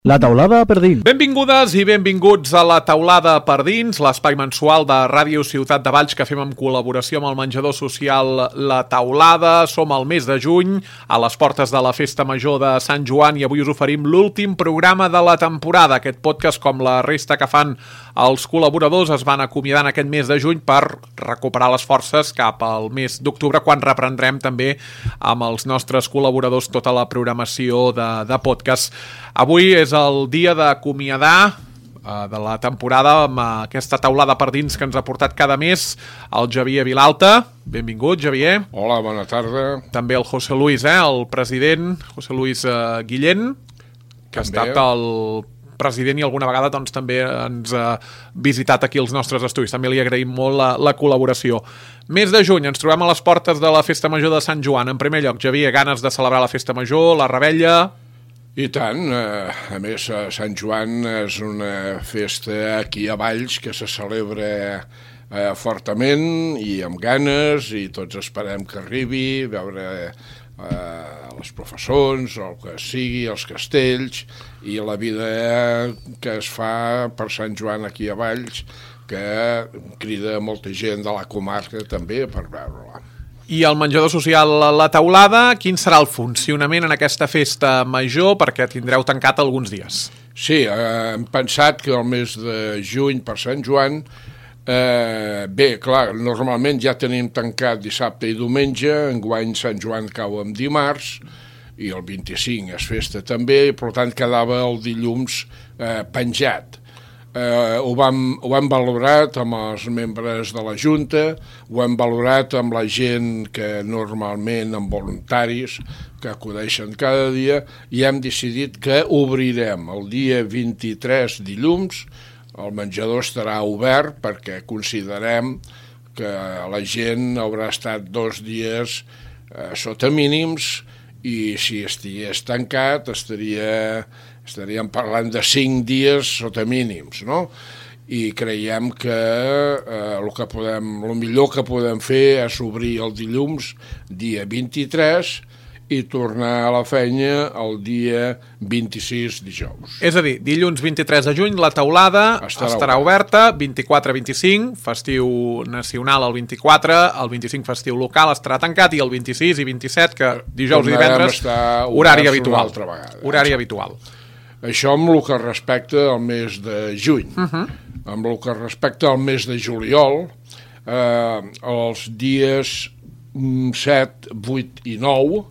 La taulada per dins. Benvingudes i benvinguts a La taulada per dins, l'espai mensual de Ràdio Ciutat de Valls que fem en col·laboració amb el menjador social La Taulada. Som al mes de juny, a les portes de la Festa Major de Sant Joan, i avui us oferim l'últim programa de la temporada. Aquest podcast, com la resta que fan els col·laboradors, es van acomiadar en aquest mes de juny per recuperar les forces cap al mes d'octubre, quan reprendrem també amb els nostres col·laboradors tota la programació de podcast. Avui és el dia d'acomiadar de la temporada amb aquesta taulada per dins que ens ha portat cada mes el Xavier Vilalta. Benvingut, Xavier. Hola, bona tarda. També el José Luis, el president, José Luis Guillén, que ha estat el president i alguna vegada doncs, també ens ha visitat aquí als nostres estudis. També li agraïm molt la col·laboració. Mes de juny, ens trobem a les portes de la Festa Major de Sant Joan. En primer lloc, Xavier, ganes de celebrar la Festa Major, la revetlla? I tant, a més Sant Joan és una festa aquí a Valls que se celebra fortament i amb ganes, i tots esperem que arribi, veure les professors, el que sigui, els castells i la vida que es fa per Sant Joan aquí a Valls, que crida molta gent de la comarca també per veure-la. I el menjador social La Taulada, quin serà el funcionament en aquesta festa major, perquè tindreu tancat alguns dies? Sí, hem pensat que el mes de juny per Sant Joan, bé, clar, normalment ja tenim tancat dissabte i diumenge, enguany Sant Joan cau en dimarts, i el 25 és festa també, i per tant quedava el dilluns penjat. Ho hem valorat amb els membres de la Junta, ho hem valorat amb la gent que normalment, amb voluntaris, que acudeixen cada dia, i hem decidit que obrirem el dia 23 dilluns, el menjador estarà obert perquè considerem que la gent haurà estat 2 dies sota mínims, i si estigués tancat estaríem parlant de 5 dies sota mínims, no? I creiem que el millor que podem fer és obrir el dilluns, dia 23, i tornar a la feina el dia 26 dijous. És a dir, dilluns 23 de juny la taulada estarà oberta, 24-25, festiu nacional el 24, el 25 festiu local estarà tancat, i el 26 i 27, que dijous i divendres, horari habitual. Horari habitual. Això amb el que respecta al mes de juny. Amb el que respecta al mes de juliol, els dies 7, 8 i 9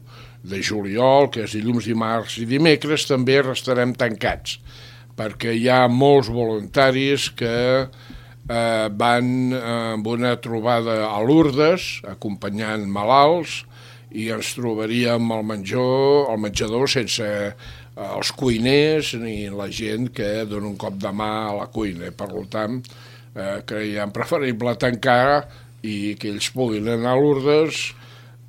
de juliol, que és dilluns, dimarts i dimecres, també restarem tancats, perquè hi ha molts voluntaris que van amb una trobada a Lourdes, acompanyant malalts, i ens trobaríem al menjador sense els cuiners ni la gent que dona un cop de mà a la cuina. Per tant, creiem preferible tancar i que ells puguin anar a Lourdes,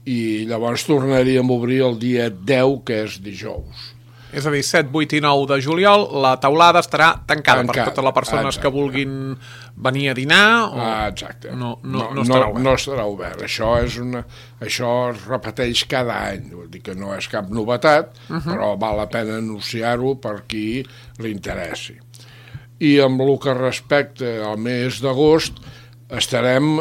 i llavors tornaríem a obrir el dia 10, que és dijous. És a dir, 7, 8 i 9 de juliol, la taulada estarà tancada per totes les persones que vulguin venir a dinar. Exacte. No estarà obert. No estarà obert. Això es repeteix cada any. Vull dir que no és cap novetat, però val la pena anunciar-ho per qui li interessi. I amb el que respecta al mes d'agost, estarem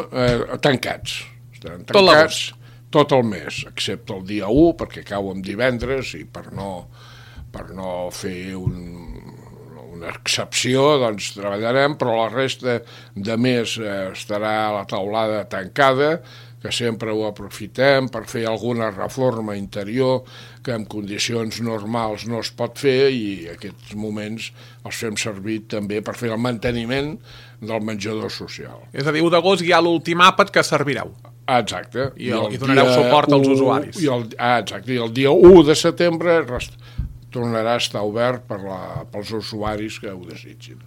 tancats. Tot l'agost. Tot el mes, excepte el dia 1, perquè cau en divendres, i per no fer una excepció, doncs treballarem, però la resta de mes estarà la taulada tancada, que sempre ho aprofitem per fer alguna reforma interior que en condicions normals no es pot fer, i aquests moments els fem servir també per fer el manteniment del menjador social. És a dir, 1 d'agost hi ha l'últim àpat que servireu. Exacte. I donareu suport als usuaris. Exacte, i el dia 1 de setembre tornarà a estar obert pels usuaris que ho desitgin.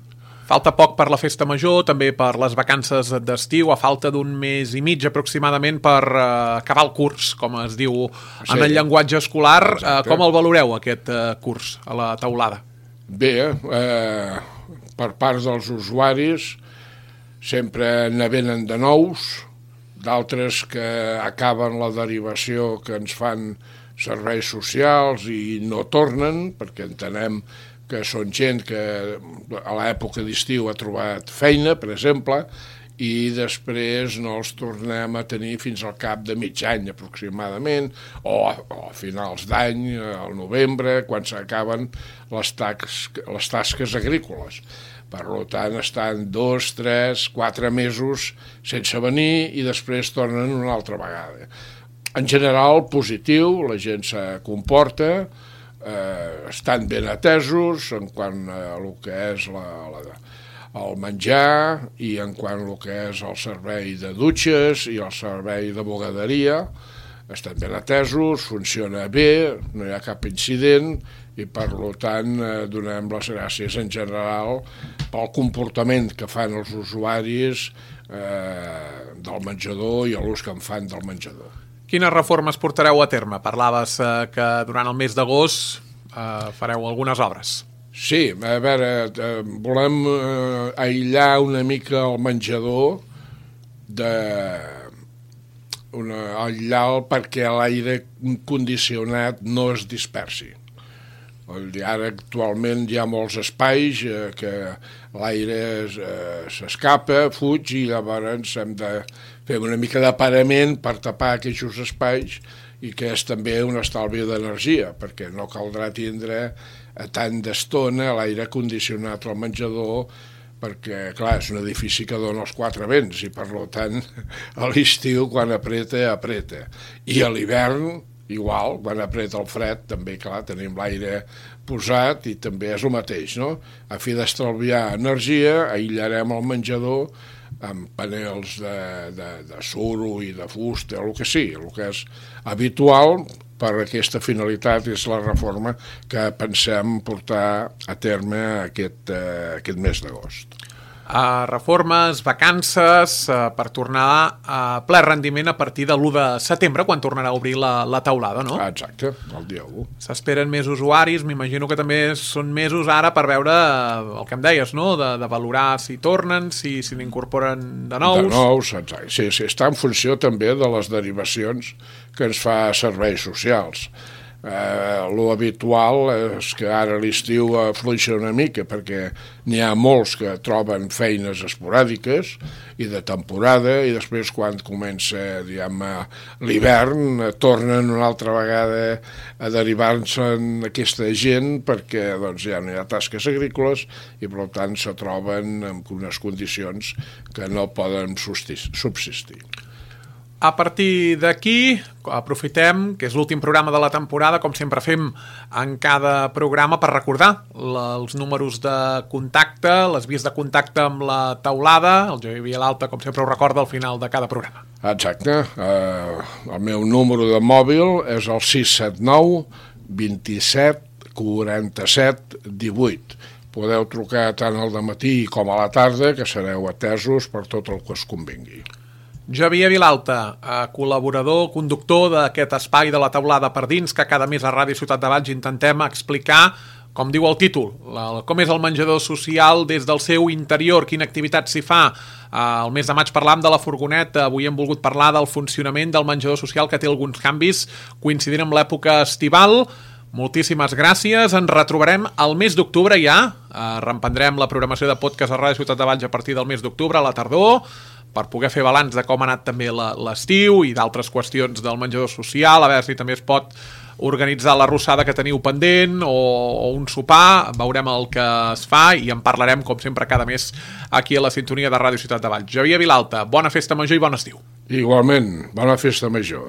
Falta poc per la Festa Major, també per les vacances d'estiu, a falta d'un mes i mig aproximadament per acabar el curs, com es diu en el llenguatge escolar. Exacte. Com el valoreu, aquest curs, a la taulada? Bé, per part dels usuaris sempre ne venen de nous, d'altres que acaben la derivació que ens fan serveis socials i no tornen, perquè entenem que són gent que a l'època d'estiu ha trobat feina, per exemple, i després no els tornem a tenir fins al cap de mig any aproximadament, o a finals d'any, al novembre, quan s'acaben les tasques agrícoles. Per tant, estan 2, 3, 4 mesos sense venir i després tornen una altra vegada. En general, positiu, la gent se comporta, estan ben atesos en quant a el que és el menjar i en quant al que és el servei de dutxes i el servei de bugaderia. Estan ben atesos, funciona bé, no hi ha cap incident i per tant donem les gràcies en general pel comportament que fan els usuaris del menjador i l'ús que en fan del menjador. Quines reformes portareu a terme? Parlaves que durant el mes d'agost fareu algunes obres. Sí, a veure, volem aïllar una mica el menjador, aïllar-lo perquè l'aire condicionat no es dispersi. Ara actualment hi ha molts espais que l'aire s'escapa, fuig i llavors hem de fer una mica d'aparament per tapar aquests espais i que és també un estalvi d'energia perquè no caldrà tindre tant d'estona l'aire condicionat al menjador perquè, clar, és un edifici que dona els 4 vents i per tant a l'estiu quan apreta. I a l'hivern igual, quan apreta el fred, també, clar, tenim l'aire posat i també és el mateix, no? A fi d'estalviar energia, aïllarem el menjador amb panels de suro i de fusta, el que sigui, el que és habitual per aquesta finalitat és la reforma que pensem portar a terme aquest mes d'agost. Reformes, vacances, per tornar a ple rendiment a partir de l'1 de setembre, quan tornarà a obrir la taulada, no? Exacte, el dia 1. S'esperen més usuaris, m'imagino que també són mesos ara per veure el que em deies, no? De valorar si tornen, si n'incorporen de nous. De nous, exacte. Sí, està en funció també de les derivacions que ens fa serveis socials. Lo habitual és que ara l'estiu afluixa una mica perquè n'hi ha molts que troben feines esporàdiques i de temporada i després quan comença l'hivern tornen una altra vegada a derivar-se en aquesta gent perquè doncs, ja no hi ha tasques agrícoles i per tant se troben en unes condicions que no poden subsistir. A partir d'aquí, aprofitem, que és l'últim programa de la temporada, com sempre fem en cada programa, per recordar els números de contacte, les vies de contacte amb la taulada. El Javier Vilalta, com sempre, ho recorda al final de cada programa. Exacte. El meu número de mòbil és el 679 27 47 18. Podeu trucar tant al dematí com a la tarda, que sereu atesos per tot el que us convingui. Javier Vilalta, col·laborador, conductor d'aquest espai de la taulada per dins, que cada mes a Ràdio Ciutat de Valls intentem explicar, com diu el títol, com és el menjador social des del seu interior, quina activitat s'hi fa. El mes de maig parlàvem de la furgoneta, avui hem volgut parlar del funcionament del menjador social, que té alguns canvis coincidint amb l'època estival. Moltíssimes gràcies, ens retrobarem al mes d'octubre ja, reemprendrem la programació de podcast a Ràdio Ciutat de Valls a partir del mes d'octubre, a la tardor, per poder fer balanç de com ha anat també l'estiu i d'altres qüestions del menjador social, a veure si també es pot organitzar l'arrossada que teniu pendent o un sopar, veurem el que es fa i en parlarem, com sempre, cada mes aquí a la sintonia de Ràdio Ciutat de Valls. Javier Vilalta, bona festa major i bon estiu. Igualment, bona festa major.